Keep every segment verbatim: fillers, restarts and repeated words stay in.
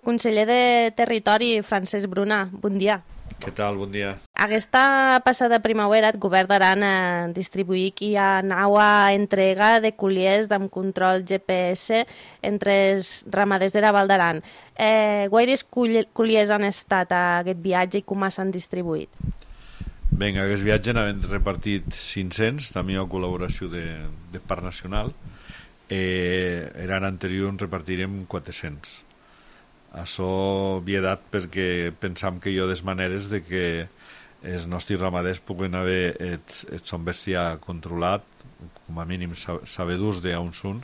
Conseller de Territori, Francesc Bruna, bon dia. Què tal? Bon dia. Aquesta passada primavera el Govern d'Aran eh, distribuï qui ha naua entrega de colliers amb control G P S entre els ramaders de la Val d'Aran. Eh, guaires colliers han estat a aquest viatge i com s'han distribuït? Bé, en aquest viatge n'havem repartit cinc-cents, també hi ha col·laboració de, de Parc Nacional. Eh, l'any anterior en repartirem quatre-cents. Això havia dat perquè pensam que hi ha des maneres de que els nostres ramaders puguen haver el, el son bestiar controlat, com a mínim sabedors d'on són,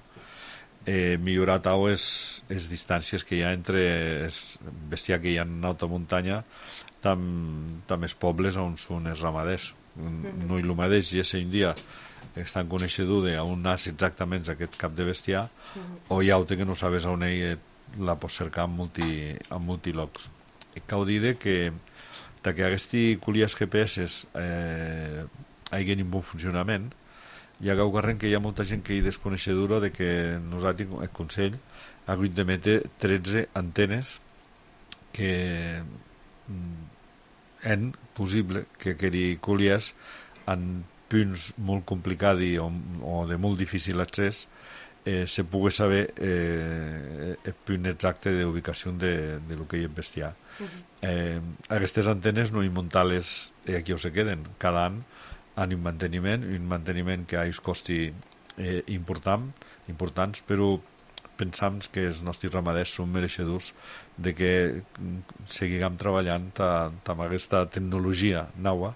eh, millorar tau les distàncies que hi ha entre el bestiar que hi ha en alta muntanya amb els pobles on són els ramaders. No hi el mateix, i és un dia estan coneixedors d'on nas exactament aquest cap de bestiar, o hi ha altre que no sabes on ell la pots cercar en, multi, en multilocs. Cal dir que que aquests colliers G P S eh, hagin un bon funcionament, hi ha ocorrent que hi ha molta gent que hi desconeixedora de que nosaltres, el Consell, ha hagut d'emetre tretze antenes que és possible que aquests colliers en punts molt complicats o, o de molt difícil accés Eh, se pugui saber eh, el punt exacte d'ubicació de, de lo que hi ha bestiar. Uh -huh. eh, aquestes antenes no hi muntar-les eh, aquí on se queden. Cada any han un manteniment, un manteniment que ha un costi eh, important, importants, però pensam que els nostres ramaders són mereixedors de que seguim treballant amb aquesta tecnologia nova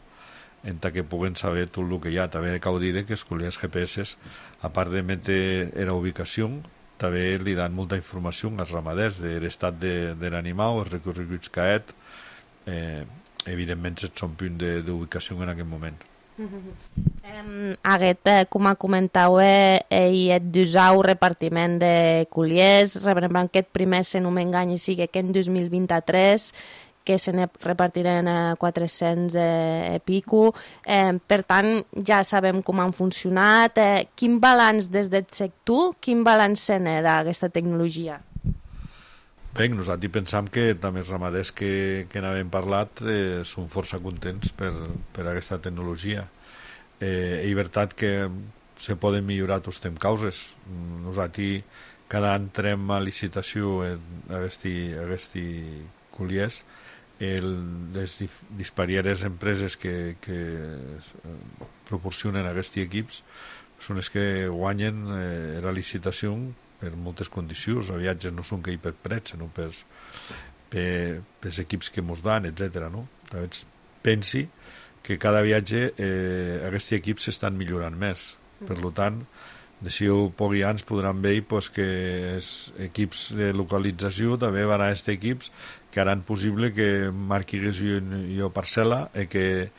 en que puguen saber tot el que hi ha. També cal dir que els colliers G P S, a part d'emetre la ubicació, també li dan molta informació als ramaders de l'estat de, de l'animal, els recorreguts que ha, eh, evidentment són punt d'ubicació en aquest moment. Um, Aguet, eh, com comentau, eh, hi ha d'usar repartiment de colliers, rebrem aquest primer, si no m'engany, sigui que en dos mil vint-i-tres, que se ne repartiran a quatre-cents eh, i pico. Eh, per tant, ja sabem com han funcionat. Eh, quin balanç des del sector, quin balanç se n'ha d'aquesta tecnologia? Bé, nosaltres pensam que també els ramaders que, que n'havem parlat eh, són força contents per, per aquesta tecnologia. Eh, és veritat que se poden millorar tots temps causes. Nosaltres cada any entrem a licitació aquests colliers. El, les disparieres empreses que, que proporcionen aquests equips són les que guanyen eh, la licitació per moltes condicions. Els viatges no són que hi per prets, sinó per, per, per equips que mos dan, etcètera. No? Pensi que cada viatge eh, aquests equips s'estan millorant més. Per tant, d'ací pocs anys podran veure pues, que els equips de localització també van a aquests equips que haran possible que marquis jo parcel·la i que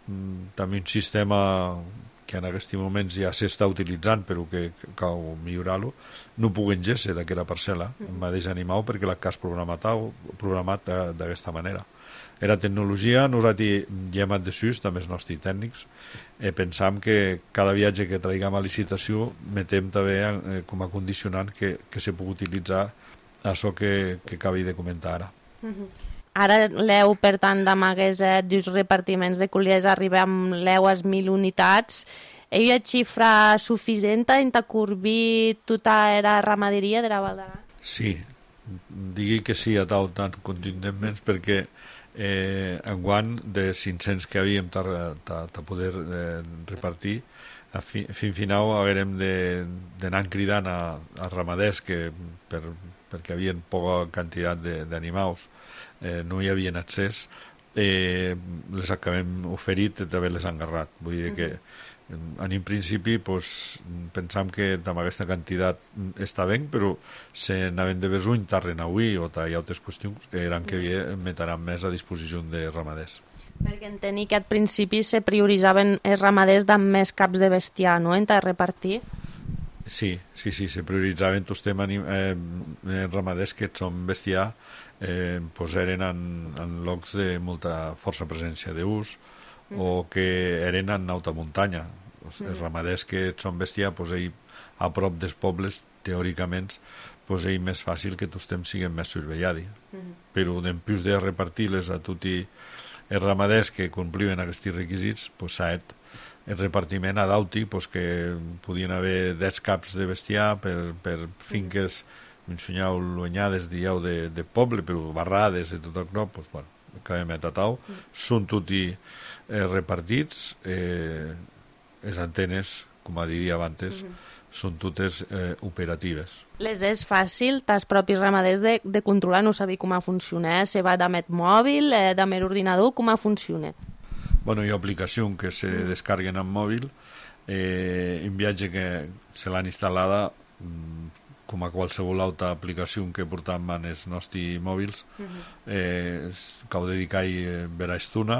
mm, també un sistema que en aquests moments ja s'està utilitzant però que cal millorar-lo, no puguen géixer d'aquella parcel·la, el mateix animal, perquè l'ha cas programat, programat d'aquesta manera. La tecnologia, nosaltres ja hem addesus, també els nostres tècnics, eh, pensam que cada viatge que traiguem a licitació metem també eh, com a condicionant que, que se pugui utilitzar això que, que acabi de comentar ara. Uh-huh. Ara l'E U, per tant, d'amagues eh, dos repartiments de colliers arriba amb l'E U a mil unitats. Hi ha xifra suficient en corbir tota la ramaderia de la Val d'Aran? Sí, digui que sí a tal tant contundentment perquè eh, enguany de cinc-cents que havíem de poder eh, repartir, a fi, fin final haguem d'anar cridant a, a ramaders que per perquè hi havia poca quantitat d'animals, eh, no hi havia accés, eh, les acabem oferit i també les han agarrat. Vull dir que en un principi pues, pensam que amb aquesta quantitat està bé, però se n'havem de besuny tarren avui o hi ha altres qüestions que eren que metran més a disposició de ramaders. Perquè entenir que al principi se prioritzaven els ramaders amb més caps de bestiar, no?, en repartir. Sí, sí, sí, se prioritzaven tots temes eh, ramaders que són bestiar, eh, pues eren en, en llocs de molta força presència d'ús mm. o que eren en alta muntanya. Els mm. ramaders que són bestiar, pues, a prop dels pobles, teòricament, pues és més fàcil que tots temps siguin més survellats. Mm-hmm. Però d'empius de repartir-les a tots els ramaders que complien aquests requisits, pues s'ha el repartiment a Dauti, pues, que podien haver deu caps de bestiar per, per finques, m'ensenyau luanyades, dieu, de, de poble, però barrades i tot això, pues, bueno, acabem a Tatau. Mm. Són tots eh, repartits, eh, les antenes, com diria abans, mm-hmm. són totes eh, operatives. Les és fàcil, els propis ramaders, de, de controlar, no saber com funciona, se va d'amet mòbil, eh, d'amet ordinador, com funciona? Bueno, hi ha aplicacions que se mm. descarguen en mòbil, eh, en viatge que se l'han instal·lada, com a qualsevol altra aplicació que portem en els nostres mòbils, mm-hmm. eh, que ho dedicat eh, per a estona,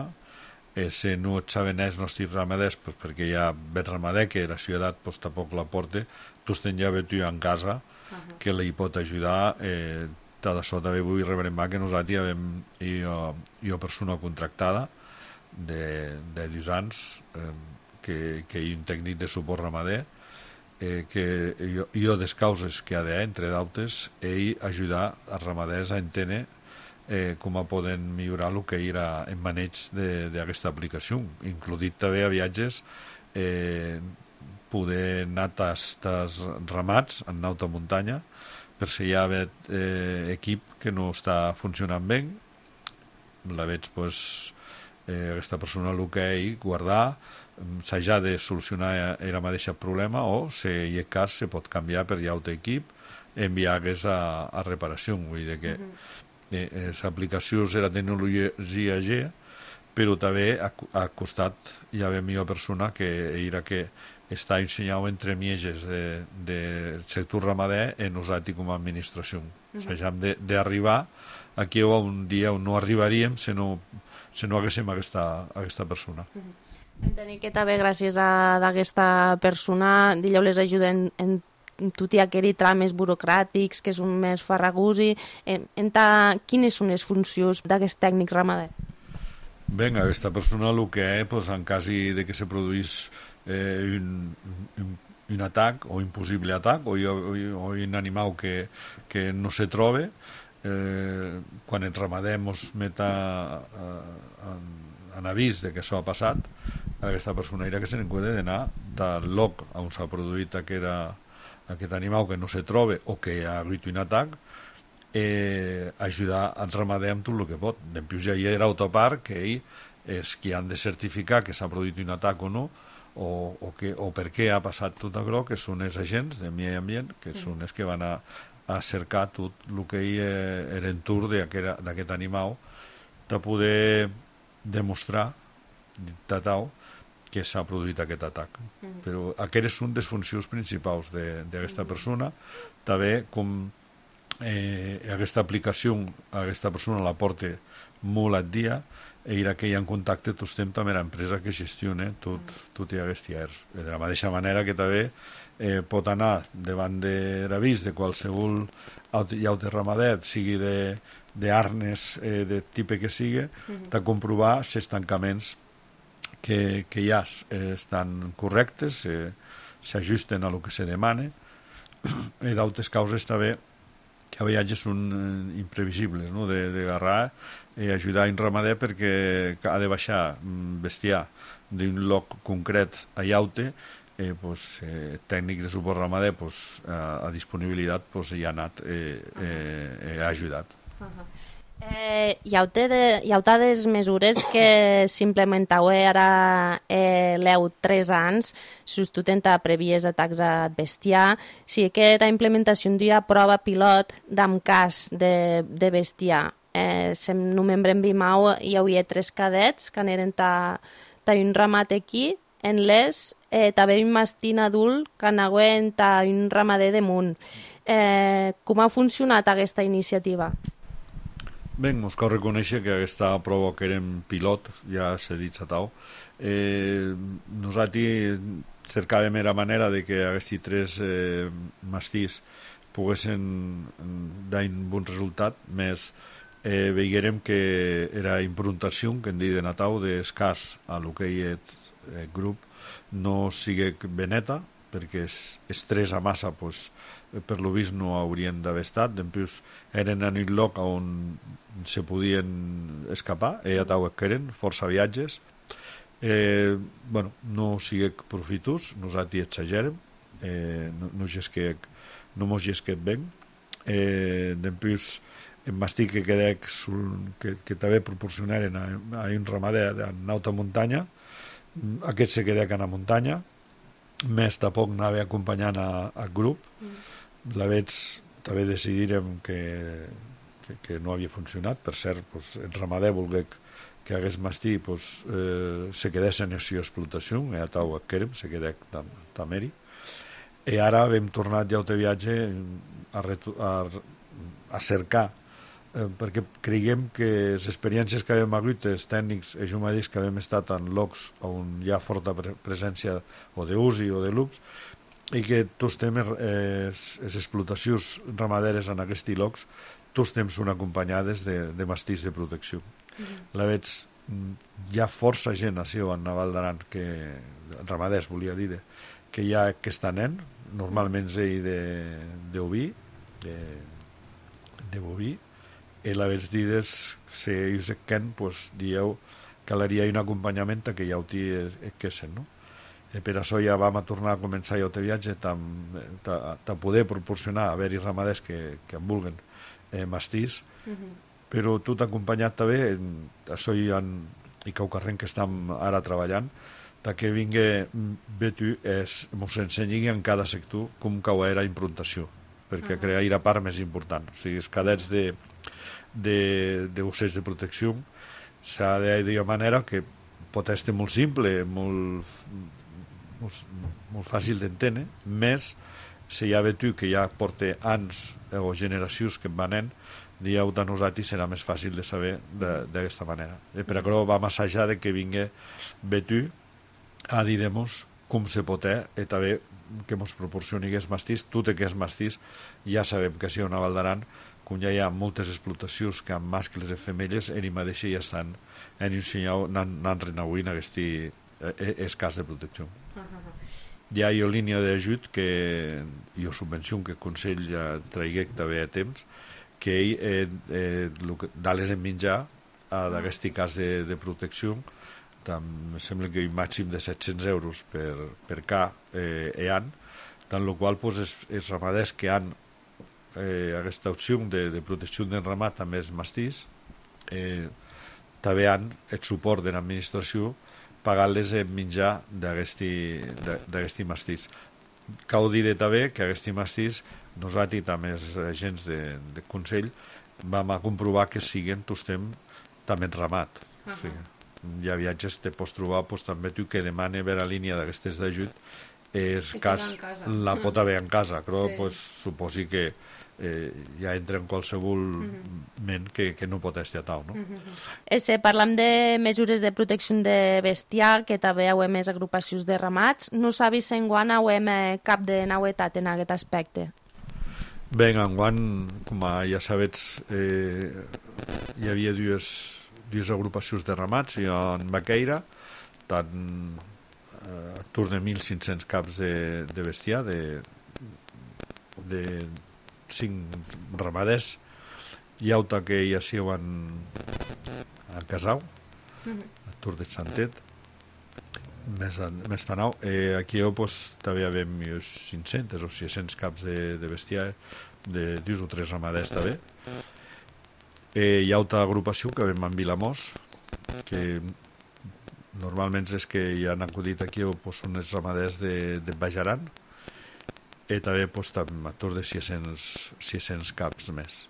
eh, si no et saben els nostres ramaders, pues, perquè hi ha bet ramader que la ciutat pues, tampoc la porta, tu tens ja bet en casa, uh-huh. que li pot ajudar. Eh, tot això també vull rebrembar que nosaltres hi ha jo, jo persona contractada de, de dos anys, eh, que, que hi ha un tècnic de suport ramader, eh, que jo, jo des causes que ha d'haver, entre d'altres, ell ajudar els ramaders a entendre eh, com a poden millorar el que era en maneig d'aquesta aplicació, includit també a viatges, eh, poder anar als ramats en alta muntanya, per si hi ha eh, equip que no està funcionant bé, la veig, pues, eh, aquesta persona el que ell guardar, s'ha de solucionar el mateix problema, o si hi ha cas se pot canviar per altre equip, enviar-los a, a reparació. Vull dir que uh-huh. eh, l'aplicació és la tecnologia G, però també a, a costat hi ha millor persona que era que està ensenyat entre mieges del de, de sector ramader en nosaltres com a administració. Uh-huh. S'hagem d'arribar aquí un dia on no arribaríem si no, si no haguéssim aquesta, aquesta persona. Uh-huh. Entenc que també gràcies a aquesta persona dilleu les ajuden en, en tot i aquells tràmits burocràtics que són més farragosi. En, en ta, quines són les funcions d'aquest tècnic ramader? Bé, aquesta persona el que és, pues, en cas de que se produís eh, un, un, un atac o un possible atac o, o, o un animal que, que no se trobe, eh, quan el ramader ens meta en, en avís de que això ha passat, aquesta persona era que se n'encuida d'anar del lloc on s'ha produït aquest, aquest animal que no se trobe o que ha hagut un atac, eh, ajudar al ramader amb tot el que pot. Dempius ja hi ha l'autoparc, que ell és qui han de certificar que s'ha produït un atac o no, o, o, que, o per què ha passat tot això, que són els agents de medi ambient, que són els que van a, a cercar tot el que hi era l'entorn d'aquest animal, de poder demostrar tatau que s'ha produït aquest atac. Mm. Però aquestes són les funcions principals d'aquesta persona. També, com eh, aquesta aplicació, aquesta persona la porta molt al dia, era que hi ha en contacte tot temps amb l'empresa que gestiona tot, tot i aquests llars. De la mateixa manera que també eh, pot anar davant de l'avís de qualsevol altre ramader, sigui d'arnes, eh, de tipus que sigui, mm-hmm. de comprovar si els tancaments que, que hi ha eh, estan correctes, eh, s'ajusten a el que se demana, i d'altres causes també que a vegades són eh, imprevisibles, no? de, de agarrar i ajudar un ramader perquè ha de baixar bestiar d'un lloc concret a llaute, eh, pues, eh, tècnic de suport ramader pues, a, a disponibilitat pues, hi ha anat eh, eh, ha ajudat. Uh-huh. Eh, hi ha des mesures que s'implementau ara eh, l'eu tres anys substituint a previes atacs a bestiar. Sí que la implementació d'un prova pilot d'am cas de, de bestiar. Eh, sem no membre en Vimau hi havia tres cadets que eren ta, ta un ramat aquí en les, eh, també un mastín adult que anaven ta un ramader de munt. Eh, com ha funcionat aquesta iniciativa? Bé, ens cal reconèixer que aquesta prova que érem pilot, ja s'ha dit a tau, eh, nosaltres cercàvem la manera de que aquests tres eh, mastís poguessin dar un bon resultat, més eh, veiguérem que era improntació, que en diuen a tau, d'escàs a lo que hi ha el grup, no sigui beneta, perquè és estrès a massa, pues, per lo vist no haurien d'haver estat. Després eren en un lloc on se podien escapar, e a tau eren força viatges. Eh, bueno, no sigue profitus, nosaltres exagerem, eh, no, no, gesquec, no mos gesquet ben. Eh, després en mastic que quedec que, que també proporcionaren a, a un ramader en alta muntanya, aquest se quedec a la muntanya, més tampoc anava acompanyant a, a grup. Mm. La veig, també decidirem que, que, que no havia funcionat. Per cert, pues, el ramader volgué que hagués mastí, pues, eh, se quedés en aquesta explotació, e a tau querem, se quedec tameri. I ara hem tornat ja al viatge a, a, a cercar, eh, perquè creiem que les experiències que havíem hagut, els tècnics, els humadís que havíem estat en llocs on hi ha forta pre presència o d'usi o de lups, i que tots temes, eh, les explotacions ramaderes en aquests llocs, tots temps són acompanyades de, de mastís de protecció. Mm-hmm. La veig, hi ha força gent així en Naval d'Aran, que ramaders volia dir, que hi ha aquesta nen, normalment ell de, de oví, de, de boví, i la veig dir, si us ken, pues, dieu que calaria un acompanyament que ja ho tinguessin, no? E per això ja vam a tornar a començar ja el viatge a poder proporcionar a haver-hi ramaders que, que en vulguen eh, mastís, uh-huh. Però tot acompanyat també, això hi ha, i que ho carrem que estem ara treballant, que vingui Betu es ens ensenyi en cada sector com cau era improntació, perquè uh-huh. crear la part més important. O sigui, els cadets de, de, d'ocells de protecció s'ha de dir de manera que pot ser molt simple, molt, molt, molt fàcil d'entendre, més si hi ha Betu que ja porta anys o generacions que en venent, dieu de nosaltres serà més fàcil de saber d'aquesta manera. I per això vam assajar de que vingui Betu a dir-nos com se pot fer, i també que ens proporcioni aquest mastís. Tot el que és mastís ja sabem que si a Naval d'Aran, com ja hi ha moltes explotacions que amb mascles i femelles, ell mateix ja estan en un senyal, anant renauint aquest cas de protecció. Hi ha una línia d'ajut que jo subvenció que el Consell ja traigué també a temps, que ell eh, eh, dales en menjar d'aquest cas de, de protecció, em sembla que un màxim de set-cents euros per, per ca eh, e an, tant el qual pues, els, els ramaders que han eh, aquesta opció de, de protecció del ramat amb els mastís eh, també han el suport de l'administració pagant-les en menjar d'aquest mastís. Cal dir també que aquest mastís nosaltres també els agents de, de Consell vam a comprovar que siguen tots temps també en ramat. Uh-huh. O sigui, hi ha viatges que pots trobar pues, també tu que demana veure la línia d'aquestes d'ajut és cas la pot haver en casa, però sí. Pues, suposi que eh, ja entra en qualsevol uh-huh. ment que, que no pot estar a tal, no? Uh-huh. Ese, parlam de mesures de protecció de bestiar, que també hi ha més agrupacions de ramats. No sabis en quan hi ha cap de novetat en aquest aspecte? Bé, enguany, com ja sabets, eh, hi havia dues, dues agrupacions de ramats, i en Baqueira, tant eh, a tour de mil cinc-cents caps de, de bestiar, de, de cinc ramaders, i auta que hi hacíem a Casau, a Tour de Santet, més, més tanau. Eh, aquí pues, també hi havia cinc-cents o sis-cents caps de, de bestiar, de dos o tres ramaders també. Eh, hi ha altra agrupació que vam en Vilamós, que normalment és que hi han acudit aquí pues, són els ramaders de, de Bajaran, i també pues, a tour de sis-cents caps més.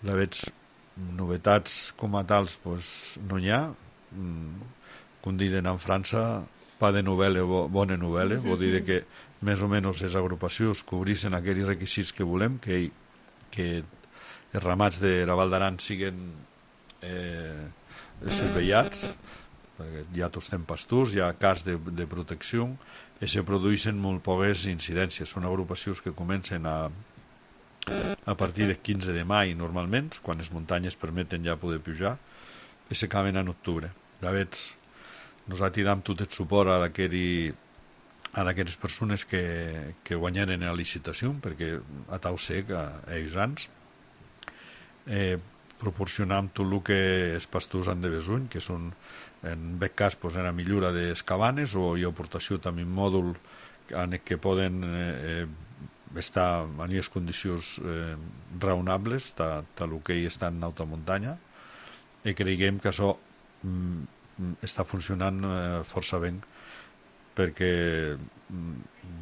La veig novetats com a tals pues, no n'hi ha. Com diuen en França, pa de novel·la, bona novel·la, vol dir que més o menys les agrupacions cobrissin aquells requisits que volem, que, que els ramats de la Val d'Aran siguin eh, surveillats, perquè hi ha tots temps pasturs, hi ha cas de, de protecció, i se produeixen molt poques incidències. Són agrupacions que comencen a, a partir del quinze de maig, normalment, quan les muntanyes permeten ja poder pujar, i s'acaben en octubre. De veig, nosaltres dam tot el suport a aquell a aquelles persones que, que guanyaren la licitació, perquè a tau sé que ells ans eh, proporcionam tot el que els pastors han de besuny, que són, en aquest cas, pues, era millora de les cabanes, o hi ha aportació també un mòdul en què poden eh, estar en les condicions eh, raonables, tal que hi està en alta muntanya, i creiem que això mm, està funcionant eh, força bé, perquè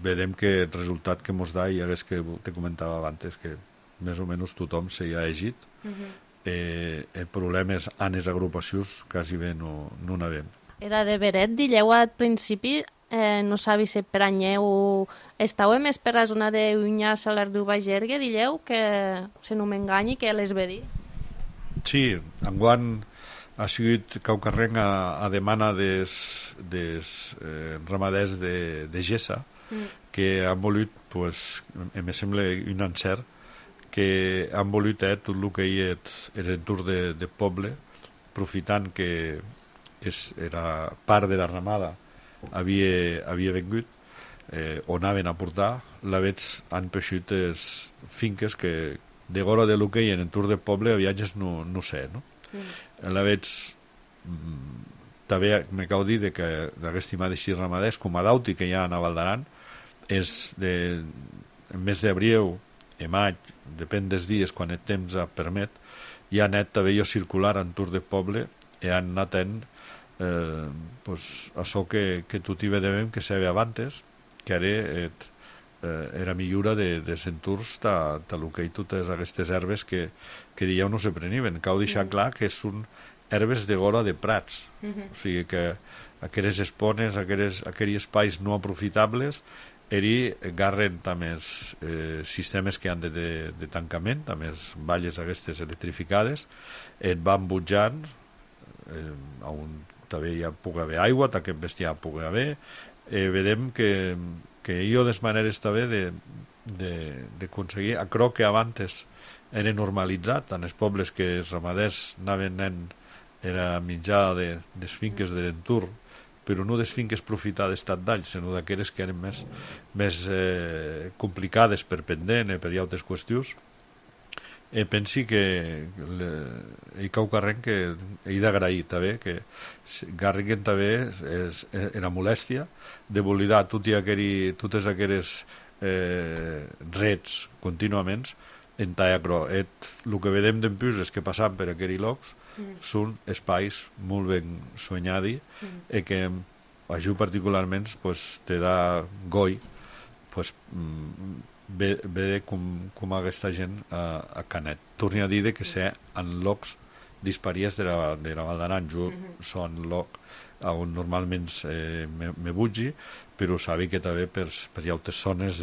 vedem que el resultat que mos da, i és que te comentava abans, que més o menys tothom s'hi ha llegit. Uh-huh. eh, el problema és en les agrupacions quasi bé no, no n'havem. Era de veret, dilleu al principi, eh, no sabi si per anyeu estàu més per la zona de Unyà, Salar du Bagergue, dilleu que se no m'enganyi, que les ve dir. Sí, enguany ha sigut caucarrenc a, a demana des, des eh, ramaders de, de Gessa, mm. que han volut, pues, em sembla un encert, que han volut eh, tot el que hi era l'entorn de, de poble, aprofitant que, que era part de la ramada havia, havia vengut, eh, on anaven a portar, la veig han peixut les finques que de gora de lo que hi ha en entorn de poble a viatges no, no sé, no? Mm. La veig també me cau dir de que d'aquest estimar d'així ramaders com a dauti que hi ha a Val d'Aran és de en mes d'abril i maig, depèn dels dies quan el temps permet, hi ha anat també jo circular entorn de poble i han anat en eh, pues, això que, que tot hi vedem que se ve abans, que ara et, eh, era millora de, de centurs ta, ta lo que hi totes aquestes herbes que, que dieu no se preniven. Cal deixar mm. clar que són herbes de gora de prats, mm-hmm. o sigui que aquelles espones, aquelles, aquells espais no aprofitables eri garren també els eh, sistemes que han de, de, de tancament, també les valles aquestes electrificades, et van butjant eh, on també hi pugui haver aigua, que aquest bestiar pugui haver, eh, vedem que, que hi ha des maneres també d'aconseguir aquello que abans era normalitzat en els pobles que els ramaders anaven en, era mitjà de, des finques de l'entorn, però no des finques profitades tant d'all, sinó d'aquelles que eren més, més eh, complicades per pendent i per altres qüestions. E pensi que le, hi cau carrent que he d'agrair també que garriguen també és, era molèstia de volidar tot aquell, totes aquelles eh, rets contínuament en tallacro. El que vedem d'empús és que passant per aquells llocs mm. són espais molt ben soñadi mm. i que a jo particularment pues, te da goi pues, ve, ve com, com aquesta gent a, a Canet. Torni a dir que sé en llocs disparies de la, de la Val d'Aran. Jo mm-hmm. són lloc on normalment eh, me, me bugi, però sabi que també per, per altres zones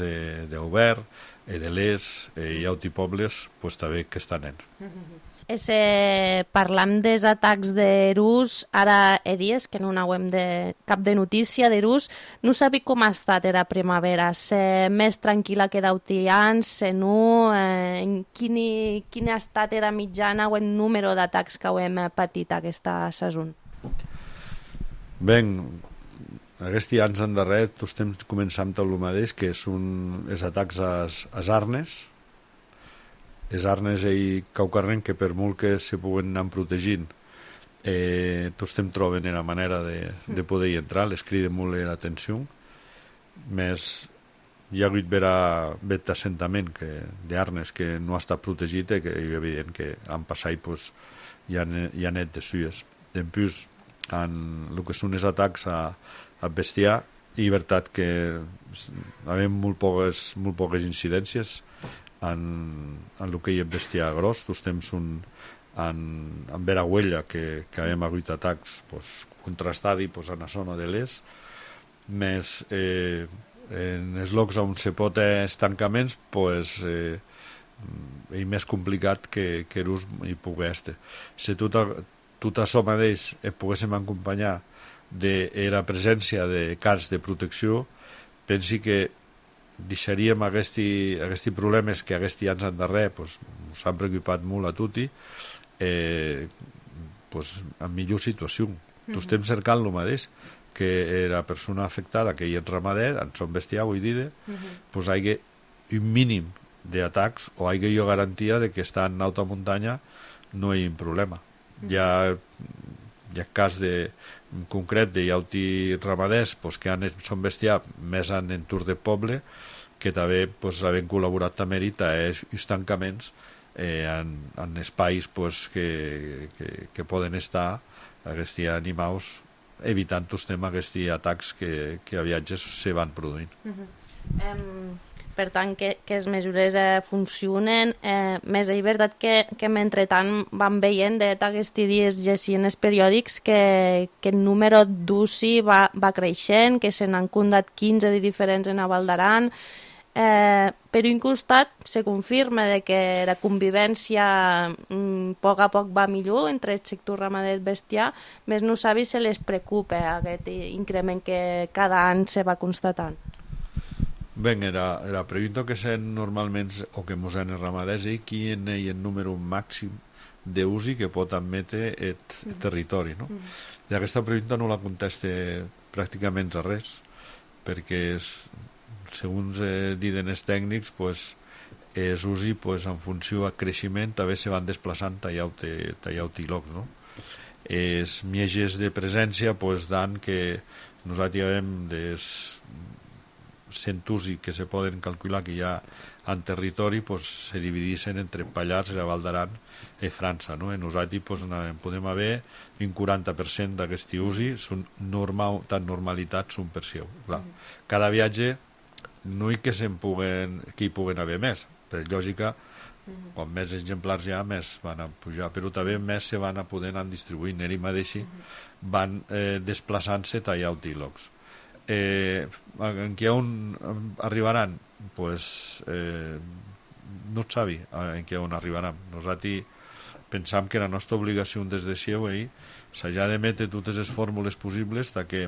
d'Obert, i de l'Es, i altres pobles, pues, també que estan en. Mm-hmm. Ese, parlam dels atacs d'Erús, ara he dies que no n'hauem de cap de notícia d'Erús, no sabi com ha estat la primavera, se més tranquil·la que d'Autians, se no, eh, quin, quin ha estat la mitjana o el número d'atacs que hem patit aquesta saison? Ben, aquests anys endarrer tots estem començant tot el mateix, que són els atacs als arnes, els arnes i caucarren que per molt que se puguen anar protegint eh, tots estem trobant la manera de, de poder hi entrar, les criden molt l'atenció, més hi ha hagut bet assentament d'arnes que no ha estat protegit i que és evident que han passat pues, hi ha, hi ha net de sues. En plus, en el que són els atacs a, a bestiar, i veritat que havem molt poques, molt poques incidències en, en el que hi ha bestiar gros. Tots temps un, en, en Verahuella que, que hem hagut atacs pues, contrastats pues, en la zona de l'est, més eh, en els llocs on se pot els tancaments pues, eh, és més complicat que, que l'ús hi pugui estar. Si tot, tot això mateix eh, poguéssim acompanyar de la presència de cars de protecció, pensi que deixaríem aquests, aquests problemes que aquests anys endarrer pues, ens han preocupat molt a tutti eh, pues, en millor situació. Mm-hmm. Tots estem cercant el mateix, que la persona afectada, que hi és ramader, en son bestiar, vull dir, uh-huh. pues hi ha un mínim d'atacs o hi ha jo garantia de que està en alta muntanya no hi ha problema. Uh-huh. Hi ha, hi ha cas de, en concret de llauti ramaders pues, que han, són bestiar més en entorn de poble, que també pues, havent col·laborat també a els tancaments eh, en, en espais pues, que, que, que poden estar aquests animals evitant també aquests atacs que, que a viatges se van produint. Uh-huh. um, per tant, que, que les mesures eh, funcionen. Eh, més és veritat que, que mentretant van veient d'aquests dies llegint els periòdics que, que el número d'U C I va, va creixent, que se n'han condat quinze de diferents en Val d'Aran. Eh, per un costat se confirma de que la convivència mm, a poc a poc va millor entre el sector ramader i bestiar, més no sabi se les preocupa aquest increment que cada any se va constatant. Bé, la, la pregunta que se normalment o que mos han els ramaders és quin és el número màxim d'usi que pot admetre el mm. territori, no? Mm. I aquesta pregunta no la conteste pràcticament a res, perquè és segons eh, diuen els tècnics, pues, els U S I pues, en funció del creixement també se van desplaçant tallau-te llocs. No? Els mieges de presència pues, dan que nosaltres hem des cent U S I que se poden calcular que hi ha en territori pues, se dividissin entre Pallars, la Val d'Aran i França. No? I nosaltres pues, podem haver un quaranta per cent d'aquest U S I són normal, tan normalitats un per seu. Clar. Cada viatge no hi que se'n puguen, que hi puguen haver més, per lògica, uh-huh. quan més exemplars hi ha, més van a pujar, però també més se van a poder anar distribuint, i mateix uh-huh. van eh, desplaçant-se tallau-te llocs. Eh, en què on arribaran? Pues, eh, no et sabi en què on arribaran. Nosaltres pensam que la nostra obligació des de Xeu s'ha d'emetre totes les fórmules possibles de que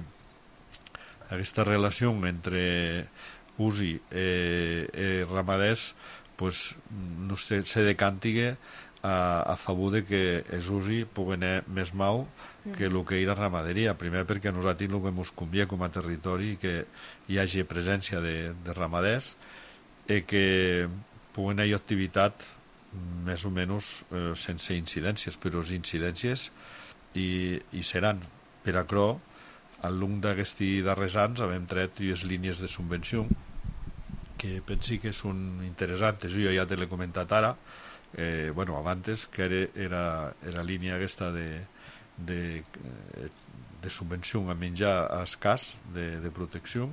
aquesta relació entre U S I eh, eh, ramaders pues, no se, se decantigue a, a favor de que els U S I puguen anar més mau que el que era ramaderia. Primer perquè a nosaltres el que ens convé com a territori que hi hagi presència de, de ramaders i que puguen haver activitat més o menys eh, sense incidències, però les incidències hi, hi seran. Per acrò, al llarg d'aquests darrers anys hem tret les línies de subvenció que pensi que són interessants. Jo ja te l'he comentat ara, eh, bueno, abans, que era, era, era línia aquesta de, de, de subvenció a menjar escàs de, de protecció.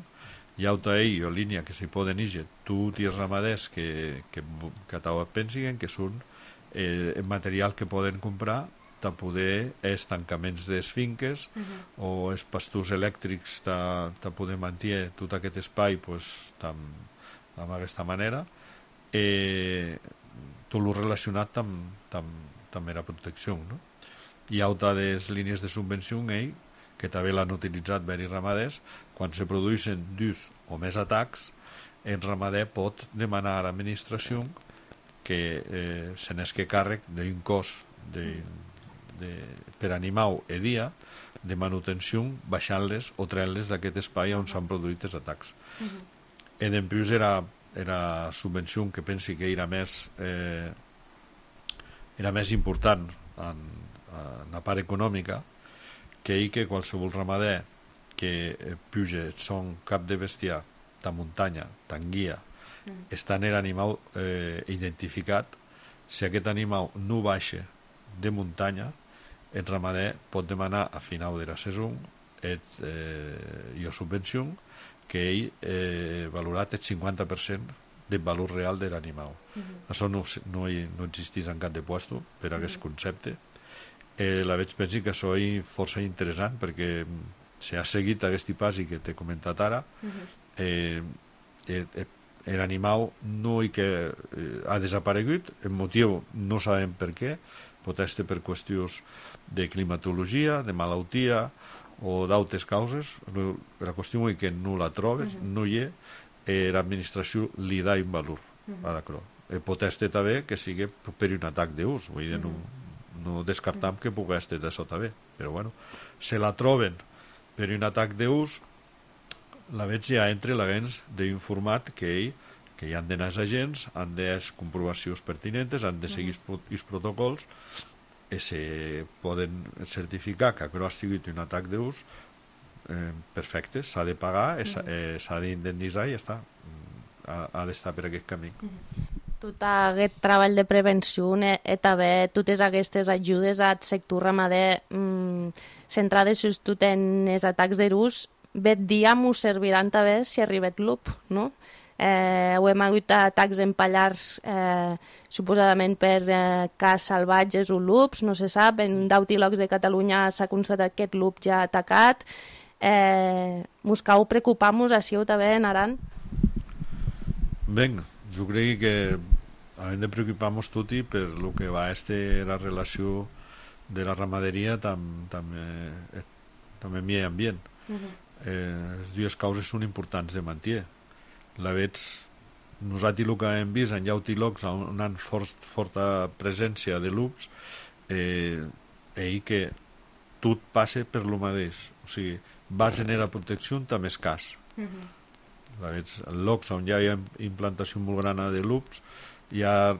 Hi ha altra ell, o línia que s'hi poden eixir tots els ramaders que, que, que pensin que són eh, material que poden comprar de poder els tancaments de les finques uh-huh. o els pastors elèctrics de poder mantenir tot aquest espai pues, d'aquesta manera eh, tot el relacionat amb, amb, amb la protecció. No? Hi ha altres línies de subvenció eh, que també l'han utilitzat veris ramaders. Quan se produeixen dos o més atacs, el ramader pot demanar a l'administració que eh, se n'esque càrrec d'un cost de De, per animal e dia de manutenció baixant-les o traient-les d'aquest espai on s'han produït els atacs. Uh-huh. E d'empius era, era subvenció que pensi que era més eh, era més important en, en la part econòmica que hi que qualsevol ramader que eh, puja son cap de bestiar de muntanya, tan guia uh-huh. està en l'animal eh, identificat. Si aquest animal no baixa de muntanya, el ramader pot demanar a final de la saison et, eh, i subvenció que ell eh, valorat el cinquanta per cent del valor real de l'animal. Uh-huh. Això no, no, no existeix en cap de puesto per a aquest uh-huh. concepte. Eh, la veig pensi que això és força interessant perquè si ha seguit aquest pas i que t'he comentat ara, uh-huh. eh, eh, l'animal no hi que eh, ha desaparegut, el motiu no sabem per què, pot ser per qüestions de climatologia, de malaltia o d'altres causes. La qüestió és que no la trobes, uh-huh. no hi és, eh, l'administració li dà un valor uh-huh. a l'acrò. Eh, pot ser també que sigui per un atac d'ús, vull dir, uh-huh. no, no descartam uh-huh. que pugui ser d'això també, però bueno, se la troben per un atac d'ús la veig ja entre l'agents d'informat que ell, que hi han d'anar els agents, han de les comprovacions pertinents, han de seguir els protocols i se poden certificar que això ha sigut un atac d'ús eh, perfecte, s'ha de pagar, eh, s'ha d'indemnitzar i ja està, ha, ha d'estar per aquest camí. Tot aquest treball de prevenció i també totes aquestes ajudes al sector ramader mmm, centrades just en els atacs d'ús, bet dia m'ho serviran també si arriba el lup, no? Eh, ho hem hagut atacs en pallars eh, suposadament per eh, cas salvatges o lups, no se sap, en deu llocs de Catalunya s'ha constatat que aquest lup ja ha atacat. Eh, mos cal preocupar-nos així també en Aran? Ben, jo crec que hem de preocupar-nos tutti per lo que va este la relació de la ramaderia tam, tam, eh, també amb el ambient. Uh-huh. eh, les dues causes són importants de mantenir. La veig, nosaltres el que hem vist en llauti llocs on hi ha fort, forta presència de lups, eh, ell que tot passa per lo mateix, o sigui, va generar protecció també és cas. Uh-huh. La veig, en llocs on hi ha implantació molt gran de lups, hi ha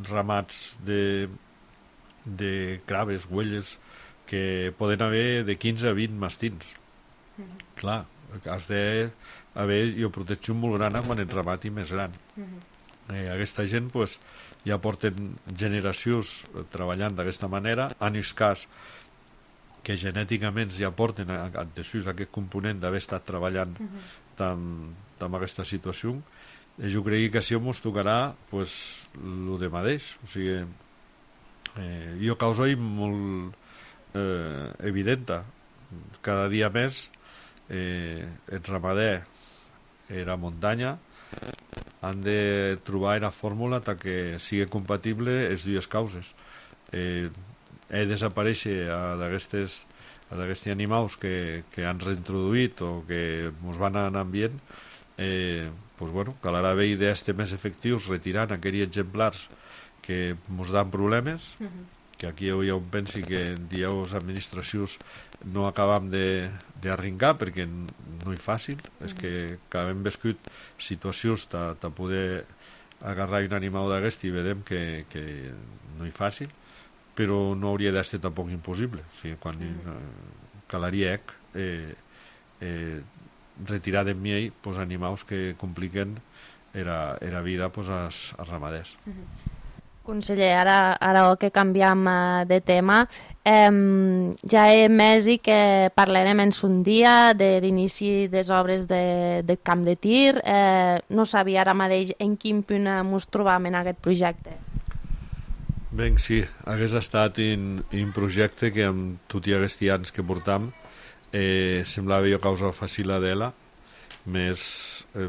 ramats de, de craves, huelles, que poden haver de quinze a vint mastins. Mm-hmm. Clar, has d'haver jo protecció molt gran quan ets ramat i més gran. Mm-hmm. Eh, aquesta gent pues, ja porten generacions treballant d'aquesta manera, en el cas que genèticament ja porten antecedents aquest component d'haver estat treballant mm-hmm. amb aquesta situació. Jo crec que si ens tocarà pues, el de mateix, o sigui, eh, jo causa molt eh, evidenta, cada dia més eh, el ramader i la muntanya han de trobar una fórmula que sigui compatible les dues causes. Eh, he desaparèixer d'aquests animals que, que han reintroduït o que ens van anar ambient. Eh, pues bueno, calarà bé idees més efectius retirant aquells exemplars que ens dan problemes, uh-huh. que aquí hi ha un pensi que dieu les administracions no acabam d'arrencar perquè no és fàcil, uh-huh. és que hem viscut situacions de, de poder agarrar un animal d'aquest i vedem que, que no és fàcil, però no hauria d'estar tampoc impossible, o sigui, quan uh-huh. calaria ec eh, eh, retirar de mi pues, animals que compliquen la, la vida pues, als, als ramaders. Conseller, ara, ara que canviem de tema, eh, ja he més i que parlarem en un dia de l'inici de les obres de, de camp de tir. Eh, no sabia ara mateix en quin punt ens trobam en aquest projecte. Ben, sí, hagués estat un, un projecte que amb tots aquests anys que portam Eh, semblava jo causa fàcil a d'ella, més eh,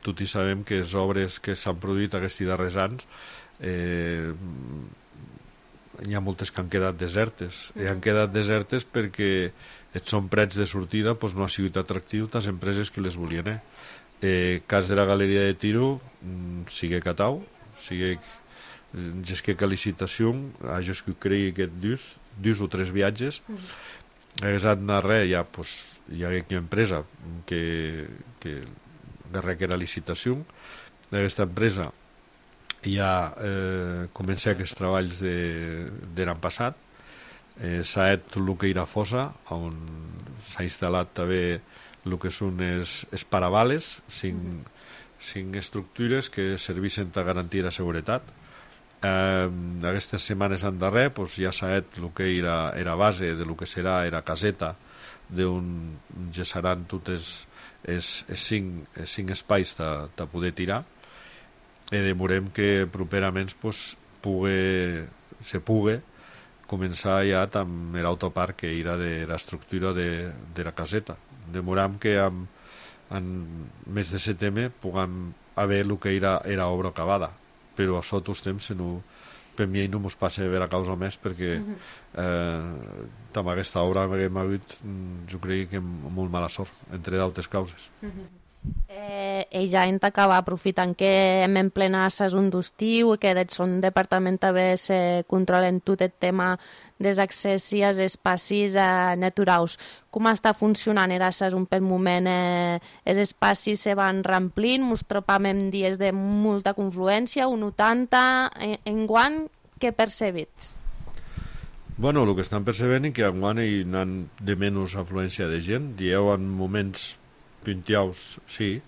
tots hi sabem que les obres que s'han produït aquests darrers anys eh, hi ha moltes que han quedat desertes i han quedat desertes perquè són prets de sortida, doncs no ha sigut atractiu les empreses que les volien. Eh? Eh, cas de la Galeria de Tiro sigue catau, sigue gesque que licitació, a jo que cregui que dus, dus o tres viatges, hagués anat res, ja, pues, hi ha una empresa que, que requera licitació. Aquesta empresa ja eh, comença aquests treballs de, de l'any passat. Eh, s'ha fet tot el que era fossa, on s'ha instal·lat també el que són els, els paravales, cinc, cinc estructures que serveixen per garantir la seguretat. Eh, aquestes setmanes en darrer pues, ja s'ha fet el que era, era base de lo que serà la caseta d'on ja seran tots els, els, els, cinc, els cinc espais de poder tirar i demorem que properament pues, pugui, se pugui començar ja amb l'autoparc que era de l'estructura de, de la caseta. Demoram que en, en mes de setembre puguem haver el que era, era obra acabada, però a sota els temps no, per mi no ens passa a veure causa més perquè eh, amb aquesta obra hem hagut, jo crec que molt mala sort, entre d'altres causes. Eh, e ja en acaba aprofitant que hem en plena saison d'estiu i que des son departament també se controlen tot el tema dels accessos als espais eh, naturals. Com està funcionant era saison per moment? Eh, els espais se van ramplint, ens trobam en dies de molta confluència, un vuitanta, en, en guant, què percebits? Bueno, el que estan percebent és que enguany hi ha de menys afluència de gent. Dieu en moments pintiaus, sí,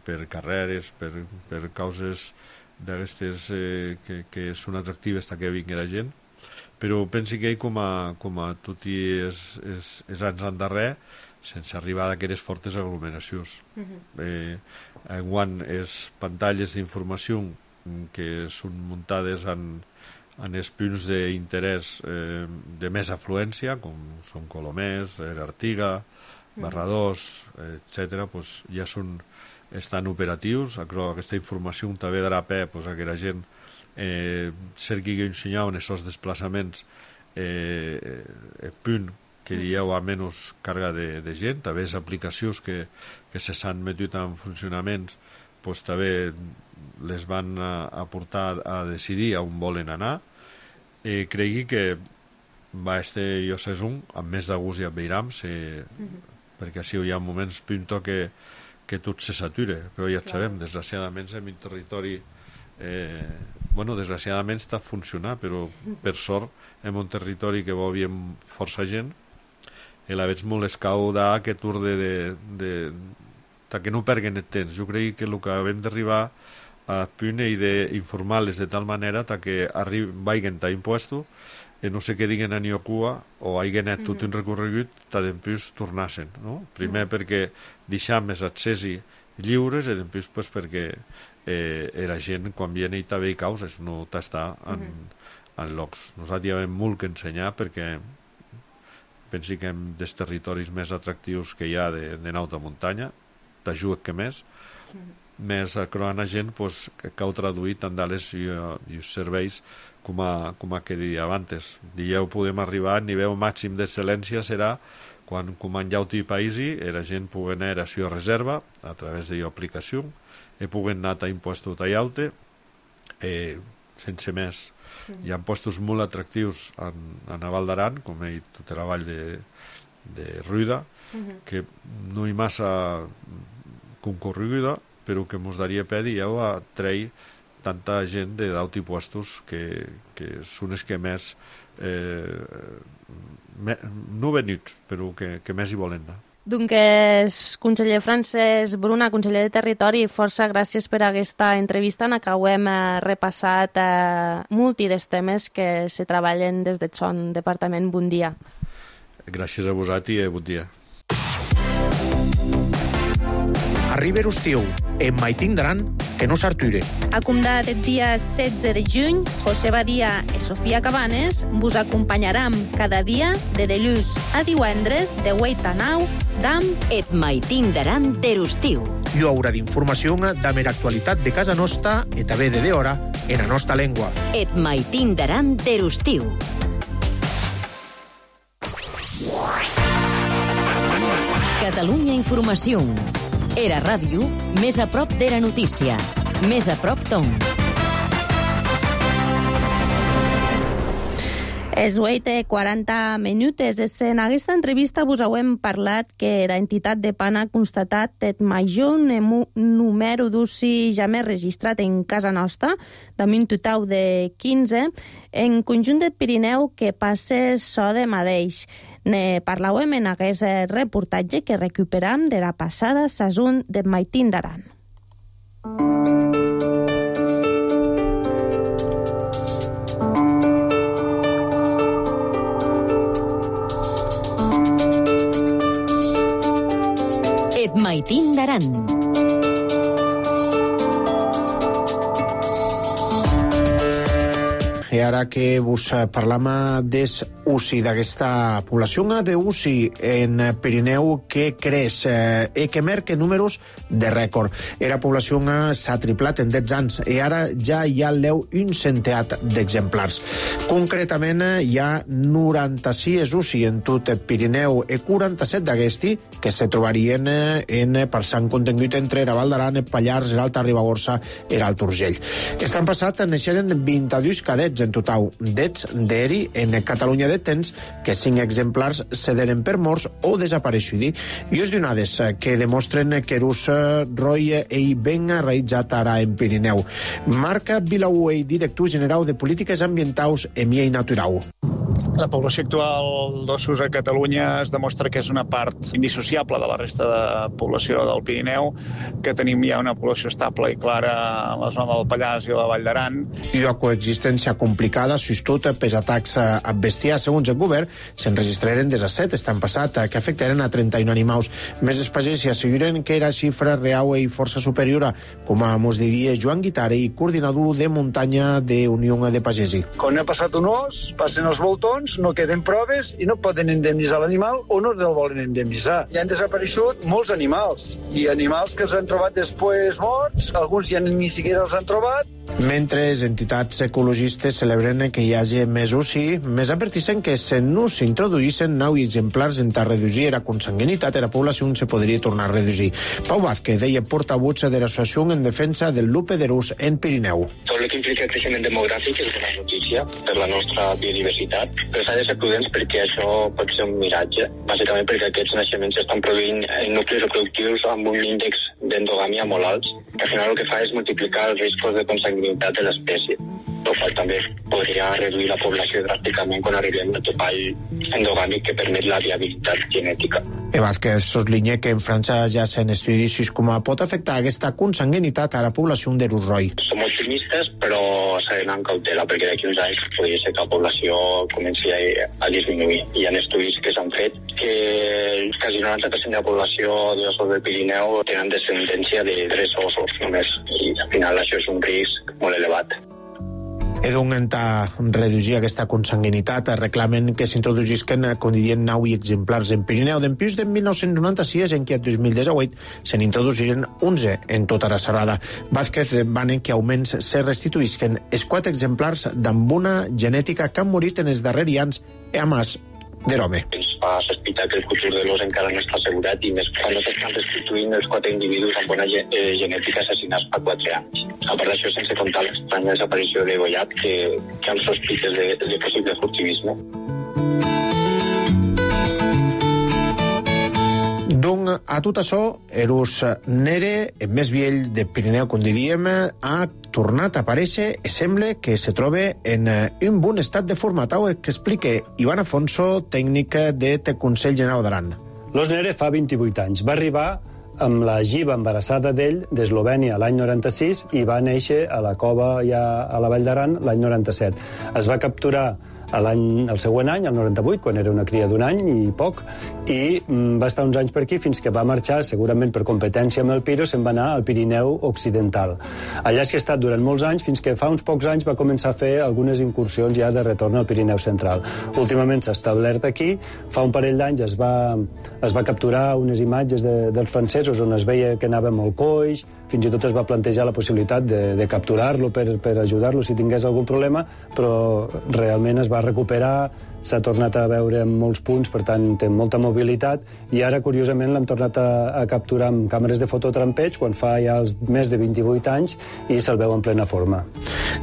per carreres, per, per causes d'aquestes eh, que, que són atractives que vingui la gent, però pensi que ell com a, com a tot i els, els, els anys endarrer, sense arribar a aquelles fortes aglomeracions. Uh-huh. eh, enguany, les pantalles d'informació que són muntades en, en els punts d'interès eh, de més afluència, com són Colomers, Artiga, Barradors, etcètera, pues ja són, estan operatius. Aquesta informació també darà peu pues, a que la gent eh, cerqui que ensenyaven aquests desplaçaments eh, el punt que hi ha menys càrrega de, de gent. També les aplicacions que, que se s'han metut en funcionaments pues, també les van a, a portar a decidir on volen anar. Eh, cregui que va este jo sé un, amb més de gust i amb veiram, se, uh-huh. perquè així hi ha moments pinto que, que tot se satura, però ja et sabem, desgraciadament en un territori eh, bueno, desgraciadament està funcionant, però per sort en un territori que vol bien força gent i la veig molt escau d'aquest urde de, de, de que no perguen el temps. Jo crec que el que hem d'arribar a punt i d'informar-les de tal manera que vagin a impuestos i no sé què diguen a Niocua o hagin anat tot un recorregut que després tornassen, no? Primer perquè deixam els accessi lliures i després pues, perquè eh, la gent quan viene i també hi causes no t'està en, en llocs. Nosaltres hi ha molt que ensenyar perquè pensi que hem dels territoris més atractius que hi ha d'anar de muntanya, t'ajuda que més, més a croar gent pues, que cau traduir tant d'ales i, i els serveis com a, com a que dia abans. Dieu podem arribar a nivell màxim d'excel·lència serà quan comandeu-te i païsi i la gent pugui anar a la reserva a través de l'aplicació i puguen anar a impuestos tallaute eh, sense més. Mm. Hi ha puestos molt atractius en, en la Val d'Aran, com he dit, tota la vall de, de Ruida, mm-hmm. que no hi massa concorreguda, però que mos daria pe dieu a treure tanta gent de d'aut i puestos que, que són els que més eh, me, no venuts, però que, que més hi volen anar. Doncs, conseller Francesc Bruna, conseller de Territori, força gràcies per aquesta entrevista en què hem eh, repassat eh, multi dels temes que se treballen des del son departament. Bon dia. Gràcies a vosaltres i bon dia. Arriba l'estiu, en Maitín d'Aran, que no s'arture. Acumdat el dia setze de juny, José Badia i Sofia Cabanes vos acompanyaran cada dia de dilluns a divendres de vuit a nou d'am et Maitín d'Aran de l'estiu. Hi haurà d'informació de mera actualitat de casa nostra i també de d'hora en la nostra llengua. Et Maitín d'Aran de l'estiu. Catalunya Informació. Era ràdio, més a prop de la notícia. Més a prop tom. És vuit i quaranta minuts. En aquesta entrevista vos hem parlat que la entitat de PAN ha constatat el major número d'ucis ja més registrat en casa nostra, de un total de quinze, en conjunt del Pirineu que passa so de mateix. Ne parlàvem en aquest reportatge que recuperam de la passada saison de Maitín d'Aran. Et Maitín d'Aran. i ara que vos parlam des U C I, d'aquesta població de U C I en Pirineu que creix eh, i que marca números de rècord. Era població s'ha triplat en deu anys i ara ja hi ha l'eu un centeat d'exemplars. Concretament, hi ha noranta-sis U C I en tot Pirineu i quaranta-set d'aquesti que se trobarien en parçant contingut entre la Val d'Aran, Pallars, l'Alta Ribagorça i l'Alt Urgell. Estan passat naixeren vint-i-dos cadets en total. D'ets d'eri en Catalunya de temps que cinc exemplars cederen per morts o desapareixudi. I us donades que demostren que Erus Roy ei ben realitzat ara en Pirineu. Marca Vilauei, director general de Polítiques Ambientals e Miei Natural. La població actual d'ossos a Catalunya es demostra que és una part indissociable de la resta de població del Pirineu, que tenim ja una població estable i clara a la zona del Pallars i la Vall d'Aran. I la coexistència complicada, sobretot pels atacs a bestiar, segons el govern, s'enregistraren disset estan passat, que afectaren a trenta-un animals. Més espagès i asseguren que era xifra real i força superior, com a mos diria Joan Guitare, i coordinador de muntanya de Unió de Pagesi. Quan ha passat un os, passen els voltons, no queden proves i no poden indemnitzar l'animal o no el volen indemnitzar. I han desapareixut molts animals, i animals que els han trobat després morts, alguns ja ni siquiera els han trobat. Mentre entitats ecologistes celebren que hi hagi més U C I, més adverteixen que si no s'introduïssin nou exemplars en reduir la consanguinitat de la població se podria tornar a reduir. Pau Vázquez deia portavoz de l'associació en defensa del lupe d'erus en Pirineu. Tot el que implica el creixement demogràfic és una notícia per la nostra biodiversitat, però s'ha de ser prudents perquè això pot ser un miratge, bàsicament perquè aquests naixements estan produint en nuclis reproductius amb un índex d'endogàmia molt alts, que al final el que fa és multiplicar els riscos de consanguinitat de l'espècie, el qual també podria reduir la població dràsticament quan arribem al topall endogàmic que permet la viabilitat genètica. E Vázquez soslinya que en França ja s'han estudis com pot afectar aquesta consanguinitat a la població d'erus roy. Som optimistes, però s'ha d'anar amb cautela, perquè d'aquí uns anys podria ser que la població comenci a, a disminuir. Hi ha estudis que s'han fet que quasi noranta per cent de la població d'ossos del Pirineu tenen descendència de tres ossos només, i al final això és un risc molt elevat. E d'intentar reduir aquesta consanguinitat, reclamen que s'introduïsquen, com dirien, nou exemplars en Pirineu. D'empús de mil nou-cents noranta-sis, en què el dos mil disset se n'introduïren onze en tota la serrada. Vázquez demanen que almenys se restituïsquen els quatre exemplars d'amb una genètica que han morit en els darrers anys a mas de l'home. Ens fa sospitar que el futur de l'os encara no està assegurat, i més quan no s'estan restituint els quatre individus amb bona ge eh, genètica assassinats fa quatre anys. A part d'això, sense comptar l'estranya desaparició de Goyat, que, que han sospites de, de possible furtivisme. Doncs a tot això, Erus Nere, el més vell de Pirineu, com diríem, ha tornat a aparèixer i sembla que se troba en un bon estat de forma, tal que explica Ivan Afonso, tècnic del Consell General d'Aran. L'os Nere fa vint-i-vuit anys. Va arribar amb la giva embarassada d'ell d'Eslovènia l'any noranta-sis i va néixer a la cova ja a la Vall d'Aran l'any noranta-set. Es va capturar l'any, el següent any, el noranta-vuit, quan era una cria d'un any i poc, i mm, va estar uns anys per aquí fins que va marxar, segurament per competència amb el Piro, se'n va anar al Pirineu Occidental. Allà és que ha estat durant molts anys, fins que fa uns pocs anys va començar a fer algunes incursions ja de retorn al Pirineu Central. Últimament s'ha establert aquí, fa un parell d'anys es va, es va capturar unes imatges de, dels francesos on es veia que anava molt coix, fins i tot es va plantejar la possibilitat de, de capturar-lo per, per ajudar-lo si tingués algun problema, però realment es va recuperar, s'ha tornat a veure en molts punts, per tant té molta mobilitat, i ara curiosament l'hem tornat a, a capturar amb càmeres de fototrampeig quan fa ja els més de vint-i-vuit anys i se'l veu en plena forma.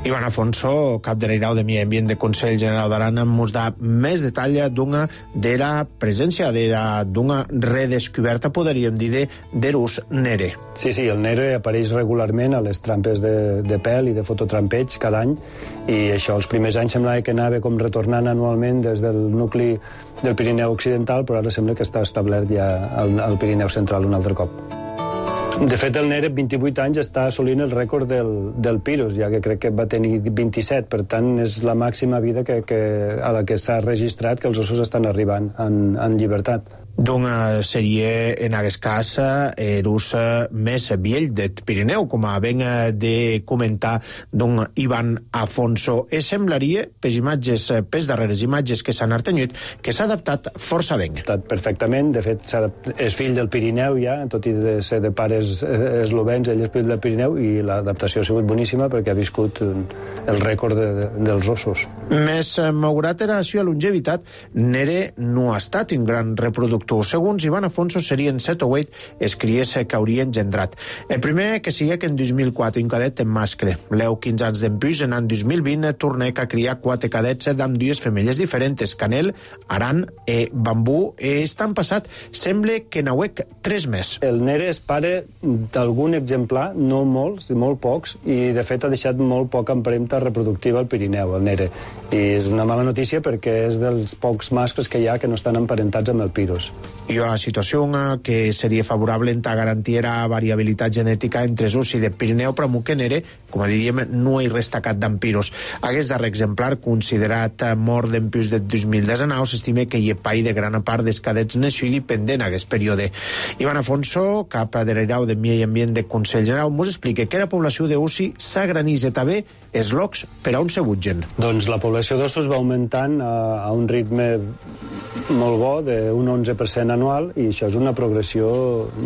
Ivan Afonso, cap de l'Irau de Medi Ambient de Consell General d'Aran, mos da més detall d'una de la presència d'una redescoberta, podríem dir, d'Erus Nere. Sí, sí, el Nere apareix regularment a les trampes de, de pèl i de fototrampeig cada any, i això els primers anys semblava que anava com retornant anualment des del nucli del Pirineu Occidental, però ara sembla que està establert ja al, al Pirineu Central un altre cop. De fet, el Nere, vint-i-vuit anys, està assolint el rècord del, del Piros, ja que crec que va tenir vint-i-set, per tant, és la màxima vida que, que, a la que s'ha registrat que els ossos estan arribant en, en llibertat. Doncs seria, en aquest cas, l'ús més vell del Pirineu, com ben de comentar don Ivan Afonso. E semblaria, per imatges, per darreres imatges que s'han artenyut, que s'ha adaptat força ben. Perfectament, de fet, és fill del Pirineu ja, tot i de ser de pares eslovens, ell és fill del Pirineu, i l'adaptació ha sigut boníssima perquè ha viscut el rècord de, de, dels ossos. Més malgrat era això a longevitat, Nere no ha estat un gran reproductor. Segons Ivan Afonso, serien set o vuit els cries que hauria engendrat. El primer que sigui que en dos mil quatre un cadet en mascle. Leu quinze anys d'empús, en l'any dos mil vint tornec a criar quatre cadets amb dues femelles diferents, Canel, Aran i Bambú, i estan passat, sembla que n'hauec tres més. El Nere és pare d'algun exemplar, no molts, molt pocs, i de fet ha deixat molt poca empremta reproductiva al Pirineu, el Nere. I és una mala notícia perquè és dels pocs mascles que hi ha que no estan emparentats amb el Pirus. I una situació que seria favorable en garantir la variabilitat genètica entre els ussi del Pirineu, però que Nere, com diríem, no hi resta cap d'empirus. Aquest darrer exemplar, considerat mort d'empús del dos mil dinou, s'estima que hi ha pai de gran part dels cadets naixuts pendent en aquest període. Ivan Afonso, cap de l'Irau de Medi Ambient de Consell General, ens explica que la població d'ussi s'agranitza també els locs per on se butgen. Doncs la població d'ossos va augmentant a, a un ritme molt bo, d'un onze per cent anual, i això és una progressió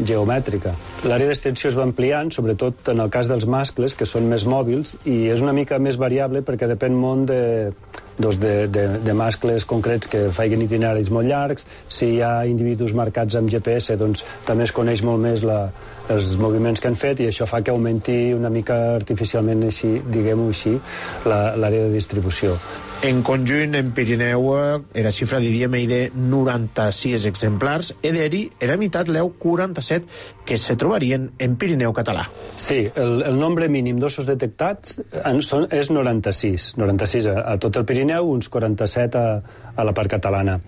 geomètrica. L'àrea d'extensió es va ampliant, sobretot en el cas dels mascles, que són més mòbils, i és una mica més variable perquè depèn molt de, doncs de, de, de mascles concrets que facin itineraris molt llargs. Si hi ha individus marcats amb G P S, doncs també es coneix molt més la, els moviments que han fet, i això fa que augmenti una mica artificialment, així, diguem-ho així, l'àrea de distribució. En conjunt, en Pirineu, era xifra, diríem, de noranta-sis exemplars, i d'eri era meitat leu quaranta-set que se trobarien en Pirineu català. Sí, el, el nombre mínim d'ossos detectats en són, és noranta-sis. noranta-sis a, a tot el Pirineu, uns quaranta-set a, a la part catalana.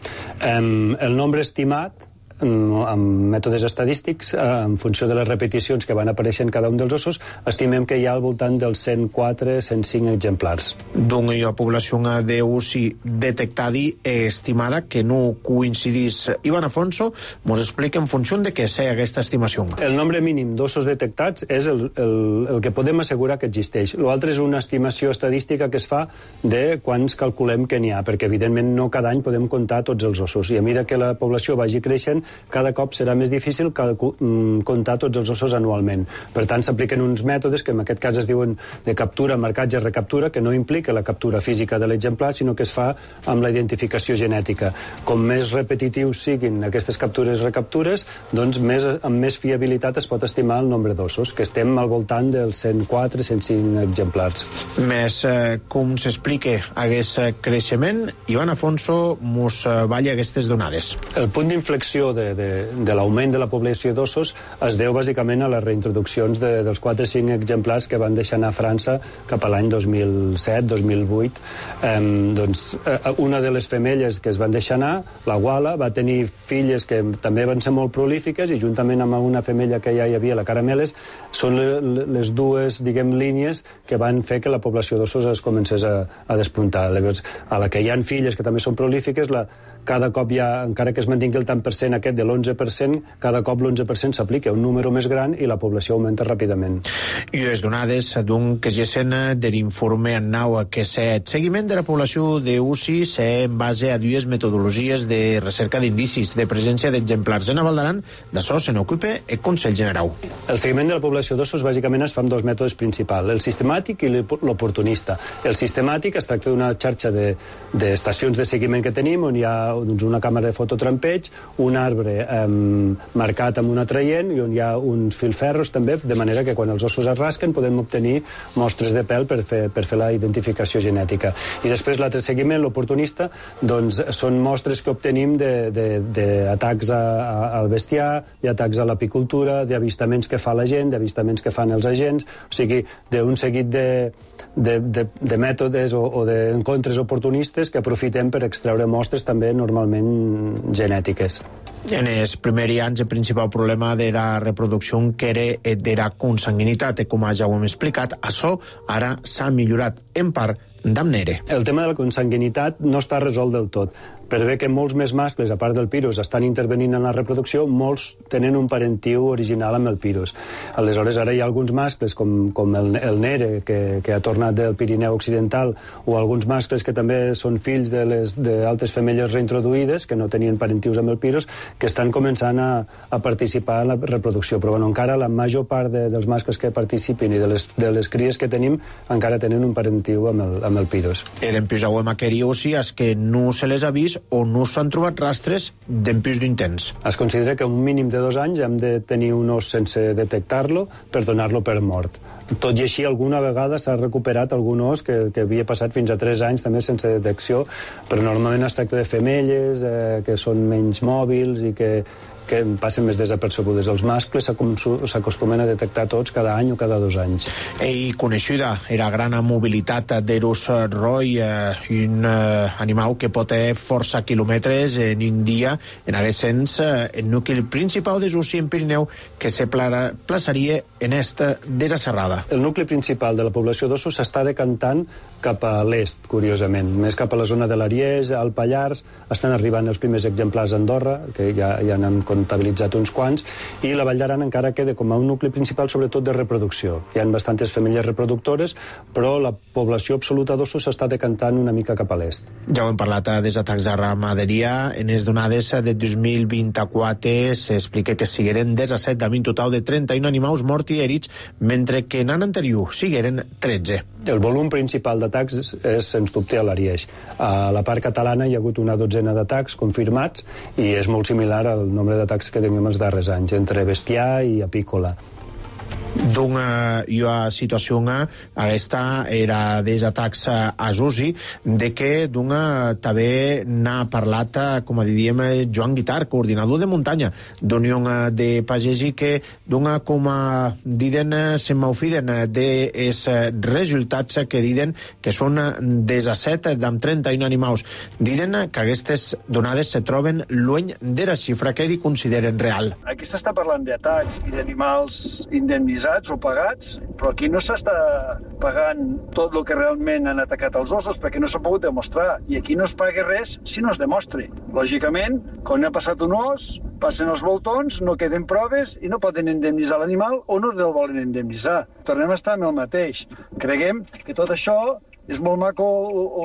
Um, el nombre estimat, amb mètodes estadístics, en funció de les repeticions que van aparèixer en cada un dels ossos, estimem que hi ha al voltant dels cent quatre a cent cinc exemplars. Doncs hi ha població d'ussi detectada i estimada que no coincidís. Ivan Afonso ens explica en funció de què sé aquesta estimació. El nombre mínim d'ossos detectats és el, el, el que podem assegurar que existeix. L'altre és una estimació estadística que es fa de quants calculem que n'hi ha, perquè evidentment no cada any podem comptar tots els ossos, i a mesura que la població vagi creixent, cada cop serà més difícil comptar tots els ossos anualment. Per tant, s'apliquen uns mètodes que en aquest cas es diuen de captura, marcatge, recaptura, que no implica la captura física de l'exemplar, sinó que es fa amb la identificació genètica. Com més repetitius siguin aquestes captures-recaptures, doncs més, amb més fiabilitat es pot estimar el nombre d'ossos, que estem al voltant dels cent quatre a cent cinc exemplars. Més eh, com s'explica aquest creixement, Ivan Afonso mos balla aquestes donades. El punt d'inflexió de, de, de l'augment de la població d'ossos es deu bàsicament a les reintroduccions de, dels quatre o cinc exemplars que van deixar anar a França cap a l'any dos mil set dos mil vuit. Eh, doncs, una de les femelles que es van deixar anar, la Guala, va tenir filles que també van ser molt prolífiques, i juntament amb una femella que ja hi havia, la Carameles, són les dues, diguem, línies que van fer que la població d'ossos es comencés a, a despuntar. Llavors, a la que hi ha filles que també són prolífiques, la cada cop ja, encara que es mantingui el tant per cent aquest de l'onze per cent, cada cop l'onze per cent s'aplica un número més gran i la població augmenta ràpidament. I les donades d'un que gesen de l'informe en nau que set seguiment de la població d'ussi se en base a dues metodologies de recerca d'indicis de presència d'exemplars en Val d'Aran, d'això se n'ocupa el Consell General. El seguiment de la població d'ossos bàsicament es fa amb dos mètodes principals, el sistemàtic i l'oportunista. El sistemàtic es tracta d'una xarxa d'estacions de, de seguiment que tenim, on hi ha doncs, una càmera de fototrampeig, un arbre eh, marcat amb un atraient i on hi ha uns filferros també, de manera que quan els ossos es rasquen podem obtenir mostres de pèl per fer, per fer la identificació genètica. I després l'altre seguiment, l'oportunista, doncs són mostres que obtenim d'atacs al bestiar, d'atacs a l'apicultura, d'avistaments que fa la gent, d'avistaments que fan els agents, o sigui, d'un seguit de De, de, de mètodes o, o d'encontres oportunistes que aprofitem per extreure mostres també normalment genètiques. En els primers anys el principal problema de la reproducció que era de la consanguinitat, com ja ho hem explicat, això ara s'ha millorat en part d'Amnere. El tema de la consanguinitat no està resolt del tot, per bé que molts més mascles, a part del pirus, estan intervenint en la reproducció, molts tenen un parentiu original amb el pirus. Aleshores, ara hi ha alguns mascles, com, com el, el Nere, que, que ha tornat del Pirineu Occidental, o alguns mascles que també són fills d'altres femelles reintroduïdes, que no tenien parentius amb el pirus, que estan començant a, a participar en la reproducció. Però bueno, encara la major part de, dels mascles que participin i de les, de les cries que tenim encara tenen un parentiu amb el, amb el pirus. E dempués auem aqueri aussi és que no se les ha vist o no s'han trobat rastres dempués d'un temps. Es considera que un mínim de dos anys hem de tenir un os sense detectar-lo per donar-lo per mort. Tot i així, alguna vegada s'ha recuperat algun os que, que havia passat fins a tres anys també sense detecció, però normalment es tracta de femelles eh, que són menys mòbils i que que passen més desapercebudes. Els mascles s'acostumen a detectar tots cada any o cada dos anys. I coneixida era gran mobilitat d'Eros Roy, eh, un eh, animal que pot fer força quilòmetres en un dia. En aquest sens, eh, el nucli principal de Jussi en Pirineu que se plaçaria en esta d'era serrada. El nucli principal de la població d'ossos s'està decantant cap a l'est, curiosament. Més cap a la zona de l'Ariès, al Pallars, estan arribant els primers exemplars a Andorra, que ja, ja n'han comptabilitzat uns quants, i la Vall d'Aran encara queda com a un nucli principal sobretot de reproducció. Hi ha bastantes femelles reproductores, però la població absoluta d'ossos s'està decantant una mica cap a l'est. Ja ho hem parlat dels atacs a ramaderia. En les donades de dos mil vint-i-quatre s'explica que sigueren disset, amb un total de trenta-un animals morts i herits, mentre que en l'any anterior sigueren tretze. El volum principal d'atacs és, sens dubte, a l'Arieix. A la part catalana hi ha hagut una dotzena d'atacs confirmats i és molt similar al nombre d'atacs que tenim els darrers anys, entre bestiar i apícola. D'una situació aquesta era dels atacs a Jussi, de que d'una també n'ha parlat, com a diríem, Joan Guitar, coordinador de muntanya d'Unió de Pagesi, que d'una, com a diden, se m'ofiden dels resultats que diden que són disset amb trenta-un animals. Diden que aquestes donades se troben lluny de la xifra que hi consideren real. Aquí s'està parlant d'atacs i d'animals indemnitzats o pagats, però aquí no s'està pagant tot el que realment han atacat els ossos perquè no s'ha pogut demostrar, i aquí no es paga res si no es demostri. Lògicament, quan ha passat un os, passen els voltons, no queden proves i no poden indemnitzar l'animal o no el volen indemnitzar. Tornem a estar amb el mateix. Creguem que tot això és molt maco, o, o,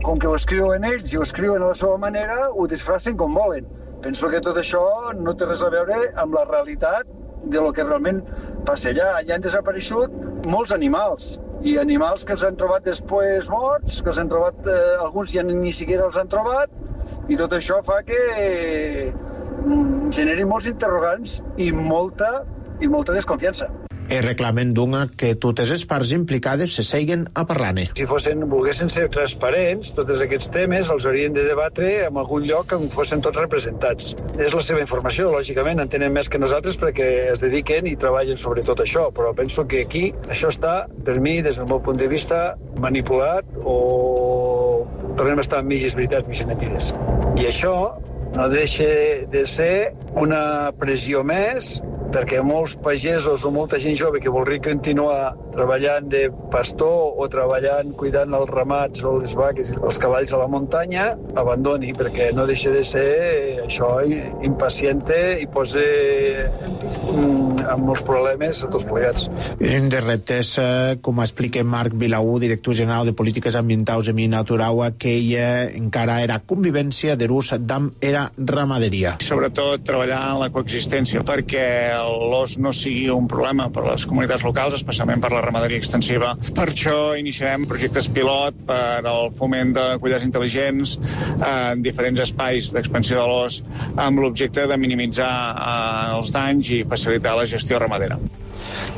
com que ho escriuen ells i ho escriuen a la seva manera, ho disfracen com volen. Penso que tot això no té res a veure amb la realitat de lo que realment passa allà. Ja han desapareixut molts animals, i animals que els han trobat després morts, que els han trobat, eh, alguns ja ni siquiera els han trobat, i tot això fa que eh, generi molts interrogants i molta, i molta desconfiança. El reclamen d'una que totes les parts implicades se seiguen a parlar-ne. Si fossin, volguessin ser transparents, tots aquests temes els haurien de debatre en algun lloc on fossin tots representats. És la seva informació, lògicament, en tenen més que nosaltres perquè es dediquen i treballen sobre tot això, però penso que aquí això està, per mi, des del meu punt de vista, manipulat o tornem a estar amb mitges veritats, mitges mentides. I això no deixa de ser una pressió més perquè molts pagesos o molta gent jove que voldria continuar treballant de pastor o treballant cuidant els ramats o les vaques i els cavalls a la muntanya abandoni, perquè no deixa de ser això impaciente i posa mm, amb molts problemes a tots plegats. Un dels reptes, com explica Marc Vilaú, director general de Polítiques Ambientals i Naturaua, que ella encara era convivència de l'ús d'am era ramaderia. Sobretot treballar en la coexistència perquè l'os no sigui un problema per a les comunitats locals, especialment per la ramaderia extensiva. Per això iniciarem projectes pilot per al foment de collars intel·ligents en diferents espais d'expansió de l'os amb l'objecte de minimitzar els danys i facilitar la gestió ramadera.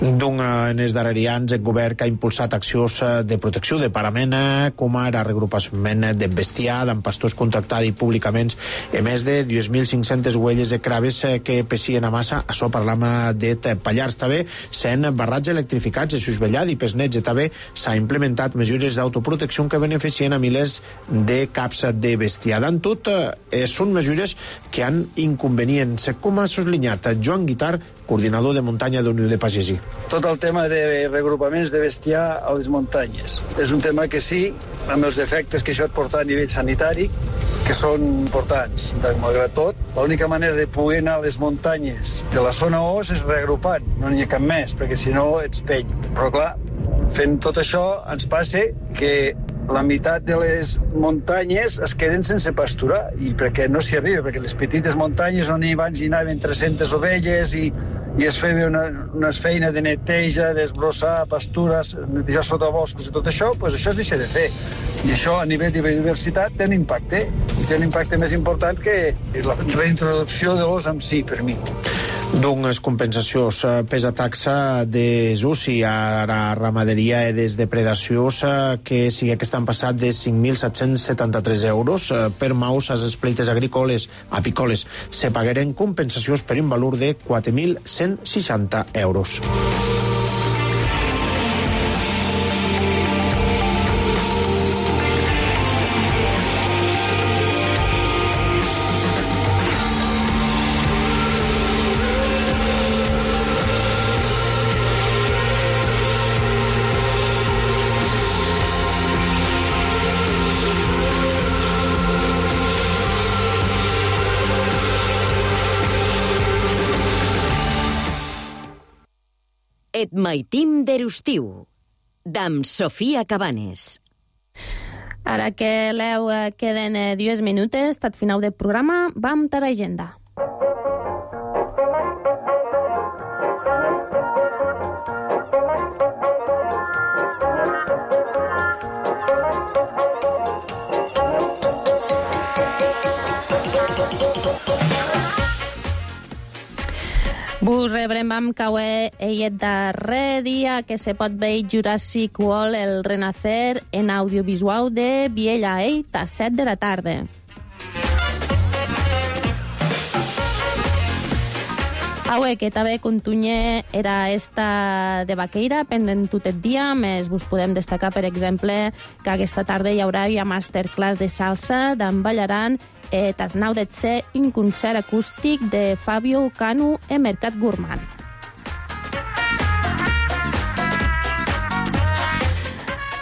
D'un, en els darrers anys, el govern que ha impulsat accions de protecció de parament, com ara regrupament de bestiar, amb pastors contractats i públicament, a més de dos mil cinc-centes huelles de craves que pessien a massa. Això parlam de Pallars. També sent barrats electrificats de Susvellat i Pesneig. També s'ha implementat mesures d'autoprotecció que beneficien a milers de caps de bestiar. En tot, eh, són mesures que han inconvenients, com ha soslinyat Joan Guitar, coordinador de muntanya d'Unió de Pagesi. Tot el tema de regrupaments de bestiar a les muntanyes és un tema que sí, amb els efectes que això et porta a nivell sanitari, que són importants. Malgrat tot, l'única manera de poder anar a les muntanyes de la zona O és reagrupant, no n'hi ha cap més, perquè si no ets pell. Però clar, fent tot això ens passa que la meitat de les muntanyes es queden sense pasturar, i perquè no s'hi arriba, perquè les petites muntanyes on abans hi anaven tres-centes ovelles i, i es feia una, una feina de neteja, d'esbrossar pastures, netejar sota boscos i tot això, doncs això es deixa de fer. I això a nivell de biodiversitat té un impacte, i té un impacte més important que la reintroducció de l'os en si, per mi. Doncs compensacions pes a taxa de Zusi a la ramaderia i des depredacions que sigui que estan passat de cinc mil set-cents setanta-tres euros per maus a les espleites agrícoles apícoles. Se pagueren compensacions per un valor de quatre mil cent seixanta euros. Et maitim d'Erustiu, d'am Sofia Cabanes. Ara que l'eu queden dues minutes, tot final del programa, vam a l'agenda. Vos rebrem amb cauer el darrer dia que se pot veure Jurassic World El Renacer en audiovisual de Viella Ell a set de la tarda. Aue, que també continua era esta de Vaqueira, pendent tot el dia, més vos podem destacar, per exemple, que aquesta tarda hi haurà ja masterclass de salsa d'en Ballaran, eh, tas nau de ser un concert acústic de Fabio Canu en Mercat Gourmand.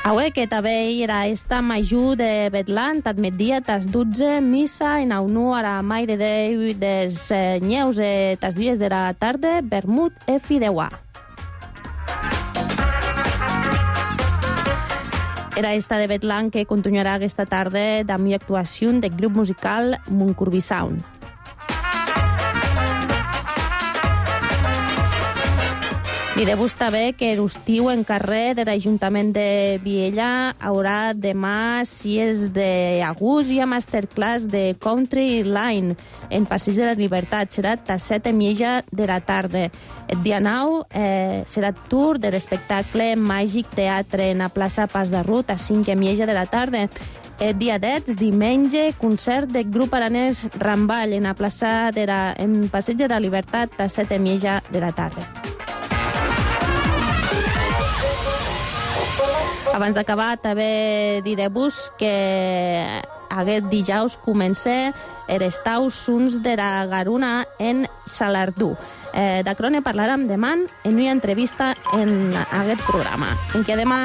Aue, que també era esta majú de Betlant, at migdia, tas dotze, missa en aunu a la Mai de Déu des Neus, eh, tas dies de la tarda, vermut e fideuà. Era esta de Betlant que continuarà aquesta tarda amb una actuació del grup musical Montcorbí Sound. Direu-vos també que l'estiu en carrer de l'Ajuntament de Viella haurà demà sis d'agost i a masterclass de Country Line en Passeig de la Llibertat. Serà a set i mitja de la tarda. El dia nou eh, serà tour de l'espectacle Màgic Teatre en la plaça Pas de Rut a cinc i mitja de la tarda. El dia deu, diumenge, concert del grup aranès Ramball en la plaça de la, en Passeig de la Llibertat a set i mitja de la tarda. Abans d'acabar, també diré-vos que aquest dijous comença l'estau Sons de la Garuna en Salardú. Eh, D'acrò ne parlarem demà en una entrevista en aquest programa, en què demà